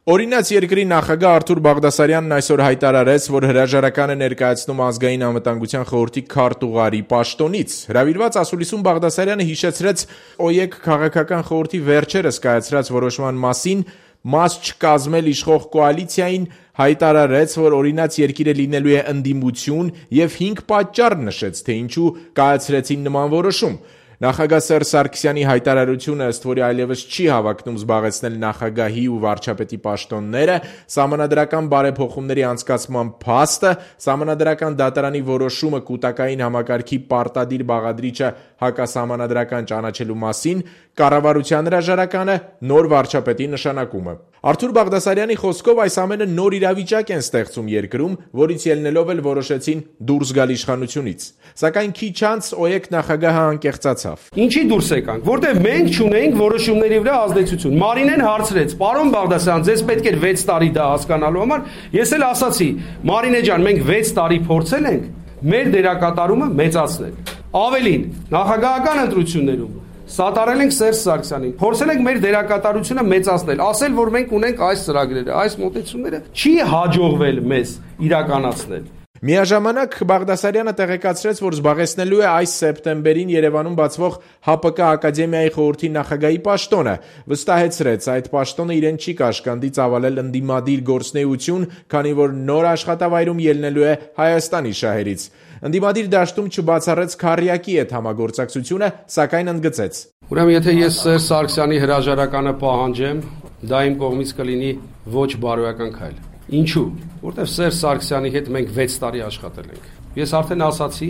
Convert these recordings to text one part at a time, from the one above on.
Օրինաց երկրի նախագահ Արթուր Բաղդասարյանն այսօր հայտարարեց, որ հրաժարական է ներկայացնում Ազգային անվտանգության խորհրդի քարտուղարի պաշտոնից։ Հրավիրված ասուլիսում Բաղդասարյանը հիշեցրեց ՕԵԿ քաղաքական խորհրդի վերջերս կայացրած որոշման մասին, մաս չկազմել իշխող կոալիցիային, հայտարարեց, որ օրինաց երկիրը լինելու է ընդդիմություն և 5 պատճառ նշեց, թե ինչու կայացրեցին նման որոշում։ Նախագահ Սերժ Սարգսյանի հայտարարությունը ըստ որի այլևս չի հավակնում զբաղեցնել նախագահի ու վարչապետի պաշտոնները, սահմանադրական բարեփոխումների անցկացման փաստը, սահմանադրական դատարանի որոշումը կուտակային համակարգի պարտադիր բաղադրիչը հակասահմանադրական ճանաչելու մասին, կառավարության հրաժարականը, նոր վարչապետի նշանակումը։ Արթուր Բաղդասարյանի խոսքով այս ամենը նոր իրավիճակ են ստեղծում երկրում, որից ելնելով էլ որոշեցին դուրս գալ իշխանությունից։ Սակայն քիչ անց ՕԵԿ նախագահը անկեղծացավ։ Ինչի դուրս եկանք, որտեղ մենք չունեինք որոշումների վրա ազդեցություն։ Մարինեն հարցրեց. «Պարոն Բաղդասարյան, ձեզ պետք էր 6 տարի դա հասկանալու համար»։ Ես էլ ասացի. «Մարինե ջան, մենք 6 տարի փորձել ենք մեր դերակատարումը մեծացնել։ Ավելին, նախագահական ընտրություններում սատարել ենք Սերժ Սարգսյանին, փորձել ենք մեր դերակատարությունը մեծացնել, ասել, որ մենք ունենք այս ծրագրերը, այս մոտեցումները, չի հաջողվել մեզ իրականացնել»։ Միաժամանակ Բաղդասարյանը տեղեկացրեց, որ զբաղեցնելու է այս սեպտեմբերին Երևանում բացվող ՀԱՊԿ Ակադեմիայի խորհրդի նախագահի պաշտոնը, վստահեցրեց, այդ պաշտոնը իրեն չի կաշկանդի ծավալել ընդդիմադիր գործունեություն, քանի որ նոր աշխատավայրում ելնելու է Հայաստանի շահերից։ Ընդդիմադիր դաշտում չբացառեց քառյակի հետ համագործակցությունը, սակայն ընդգծեց. Ուրեմն եթե ես Սերժ Սարգսյանի հրաժարականը պահանջեմ, դա իմ կողմից կլինի ոչ բարոյական քայլ։ Ինչու՞։ Որտեվ Սերժ Սարգսյանի հետ մենք 6 տարի աշխատել ենք։ Ես արդեն ասացի,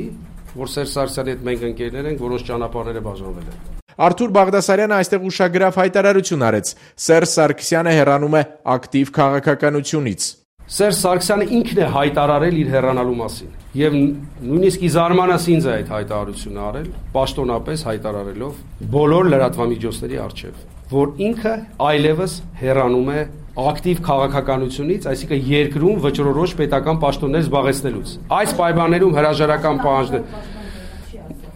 որ Սերժ Սարգսյանի հետ մենք ընկերներ ենք, որոնց ճանապարհները բաժանվել են։ Արթուր Բաղդասարյանը այստեղ ուշագրավ հայտարարություն արեց. Սերժ Սարգսյանը հեռանում է ակտիվ քաղաքականությունից։ Սերժ Սարգսյանը ինքն է հայտարարել իր հեռանալու մասին։ Եվ նույնիսկ ի զարմանաս ինձ է այդ հայտարարությունը արել, պաշտոնապես հայտարարելով բոլոր լրատվամիջոցների առջև, որ ինքը այլևս հեռանում է ակտիվ քաղաքականությունից, այսինքն երկրում վճռորոշ պետական պաշտոններ զբաղեցնելուց։ Այս պայմաններում հրաժարական պահանջներ։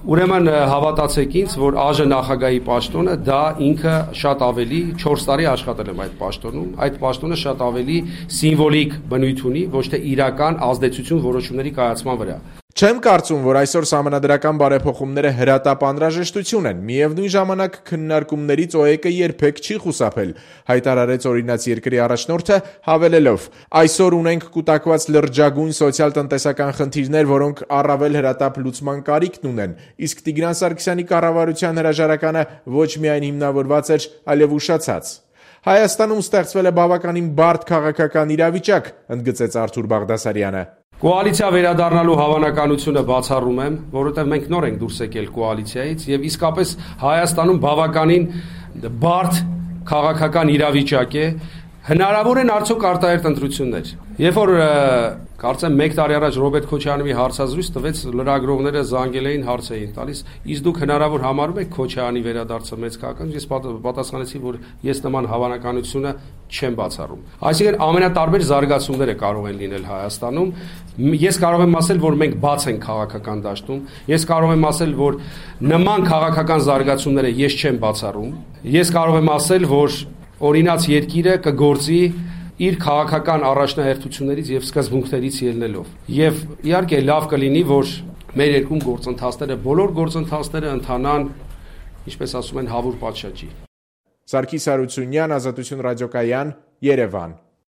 Ուրեմն հավատացեք ինձ, որ ԱԺ նախագահի պաշտոնը դա ինքը շատ ավելի 4 տարի աշխատել եմ այդ պաշտոնում, այդ պաշտոնը շատ ավելի սիմվոլիկ բնույթ ունի, ոչ թե իրական ազդեցություն որոշումների կայացման վրա։ Չեմ կարծում, որ այսօր սահմանադրական բարեփոխումները հրատապ անհրաժեշտություն են։ Միևնույն ժամանակ քննարկումներից ՕԵԿ-ը երբեք չի խուսափել, հայտարարեց օրինաց երկրի առաջնորդը, հավելելով. այսօր ունենք կուտակված լրջագույն սոցիալ-տնտեսական խնդիրներ, որոնք առավել հրատապ լուծման կարիքն ունեն, իսկ Տիգրան Սարգսյանի կառավարության հրաժարականը ոչ միայն հիմնավորված էր, այլև ուշացած։ Հայաստանում ստեղծվել է բավականին բարդ քաղաքական իրավիճակ, ընդգծեց Արթուր Բաղդասարյանը։ Կոալիցիա վերադառնալու հավանականությունը բացառում եմ, որովհետև մենք նոր ենք դուրս եկել կոալիցիայից եւ իսկապես Հայաստանում բավականին բարդ քաղաքական իրավիճակ է։ Հնարավոր են արդյոք արտահերթ ընտրություններ։ Երբ որ կարծեմ 1 տարի առաջ Ռոբերտ Քոչարյանի հարցազրույց տվեց, լրագրողները զանգել էին, հարց էին տալիս, իսկ դուք հնարավոր համարում եք Քոչարյանի վերադարձը մեծ քաղաքական։ Ես պատասխանեցի, որ ես նման հավանականությունը չեմ բացառում։ Այսինքն ամենատարբեր զարգացումները կարող են լինել Հայաստանում։ Ես կարող եմ ասել, որ մենք բաց ենք քաղաքական դաշտում։ Ես կարող եմ ասել, որ նման քաղաքական զարգացումները ես չեմ բացառում։ Ես կարող եմ ասել, որ օրինաց երկիրը կգործի իր քաղաքական առաջնահերթություններից եւ սկզբունքներից ելնելով։ Եվ իհարկե լավ կլինի, որ մեր երկրում գործընթացները, բոլոր գործընթացները ընթանան, ինչպես ասում են, հավուր պատշաճի։ Սարգիս Հարությունյան, Ազատություն ռադիոկայան, Երևան։